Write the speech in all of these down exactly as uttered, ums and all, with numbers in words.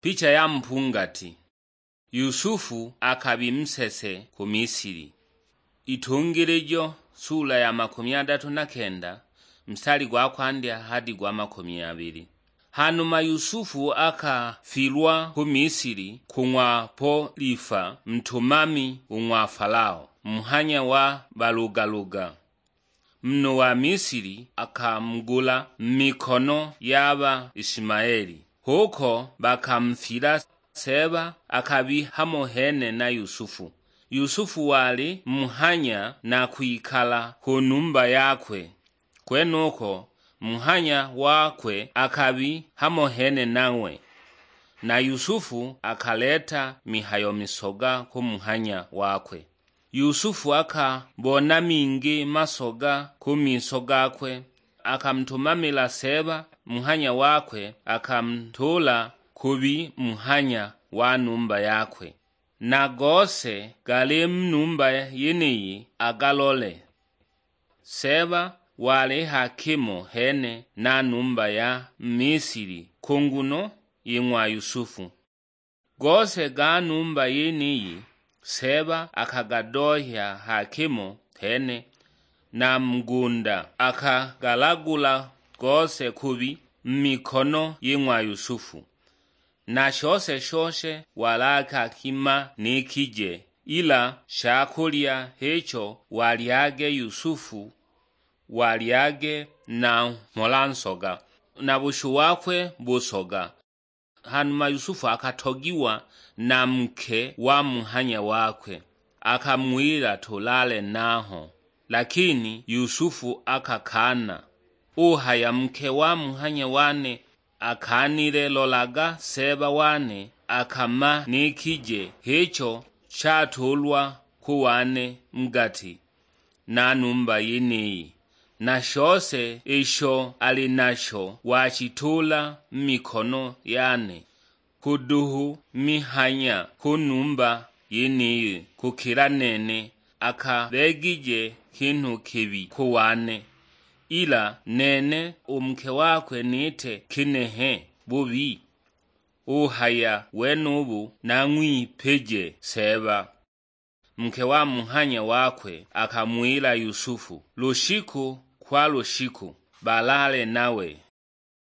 Picha ya mpungati. Yusufu akabi musese ku Misili. Itungilijo sula ya makumi adatu na kenda, mstari gwa kwandya hadi gwa makumi abili. Hanuma Yusufu akafilwa ku Misili ku ng'wa Polifa, ntumami u ng'wa Falao, muhanya wa balugaluga. Munhu wa Misili akamugula mu mikono ya ba Ishimaeli, huko bakamufila. Seeba akabi hamo hene na Yusufu. Yusufu wali muhanya na kwikala ku numba yakwe, kwenuko muhanya wakwe akabi hamo hene nanghwe. Na Yusufu akaleta mihayo misoga ku muhanya wakwe. Yusufu akabona mingi masoga ku miso gakwe, akamutumamila Seeba muhanya wakwe, akamutuula kubi muhanya wa numba yakwe. Na gose gali mu numba yeniyi agalole. Seeba wali hakimo hene na numba ya Misili ku nguno yi ng'wa Yusufu. Gose ga numba yeniyi Seeba akagadohya hakimo hene, na mugunda akagalagula gose kubi mu mikono yi ng'wa Yusufu. Na shose shose wali akakimanikije, ila shakulya hicho walyage Yusufu, walyage na mhola nsoga, na bushu wakwe busoga. Hanuma Yusufu akatogiwa na nke wa muhanya wakwe, akang'wila, "Tulale naho." Lakini Yusufu akakaana. Uhaya, "Nke wa muhanya wane akaanile, lolaga Seeba wane akamanikije hicho shatuulwa ku wane mu gati na numba yeniyi, na shose isho ali nasho washituula mu mikono yane. Kuduhu mihanya ku numba yeniyi kukila nene, akabegije kinhu kibi ku wane, ila nene u nke wakwe nite kinehe bubi?" Uhaya, "Wenubu nang'wipije Seeba." Nke wa muhanya wakwe akang'wila Yusufu, "Lushiku kwa lushiku balale nawe."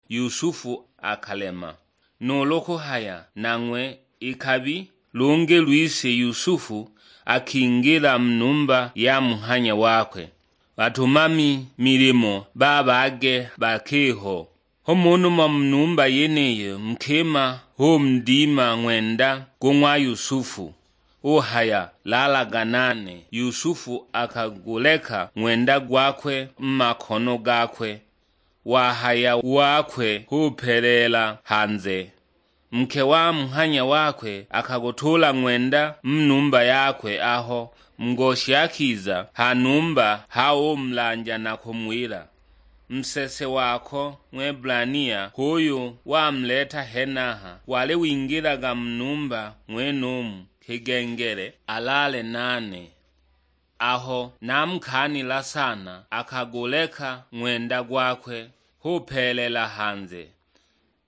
Yusufu akalema nuulu kuhaya nanghwe ikabi. Lungi lwise Yusufu akingila mu numba ya muhanya wakwe, batumami milimo babage bakiho. H'umo umo mu numba yeniyo nkima humudima ng'wenda go ng'wa Yusufu, uhaya, "Lalaga nane." Yusufu akaguleka ng'wenda gwakwe mu makono gakwe, wahaya wakwe hupeleela hanze. Nke wa muhanya wakwe akagutuula ng'wenda mu numba yakwe, aho ngoshi akiza ha numba ha umulanja na kumuwila, "Musese wako Ng'webulania h'uyu wamuleta henaha, wali wingilaga mu numba ng'wenumu kigengele alaale nane." Aho namukaanila sana, akaguleka ng'wenda gwakwe, hupeelela hanze.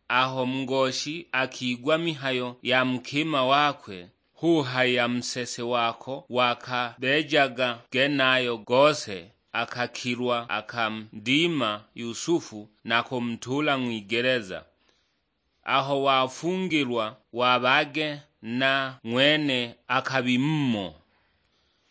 Aho ngoshi akigwa mihayo ya nkima wakwe, huhaya, "Musese wako wakabeejaga genayo gose." Akakilwa akamudima Yusufu na kumutuula ng'wigeleza. Aho wafungilwa wabage na ng'wene akabi mumo.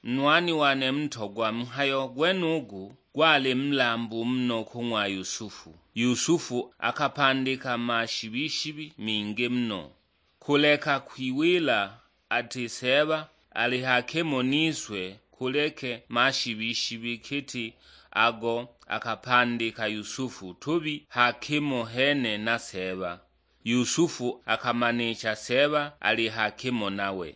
Nwani wane mutogwa, mhayo gwenugu gwali mulambu muno ku ng'wa Yusufu. Yusufu akapandika mashibi-shibi mingi muno, kuleka kwiwila ati Seeba ali hakimo niswe, kuleke mashibi-shibi giti ago akapandika Yusufu tubi hakimo hene na Seeba. Yusufu akamanicha Seeba ali hakimo nawe.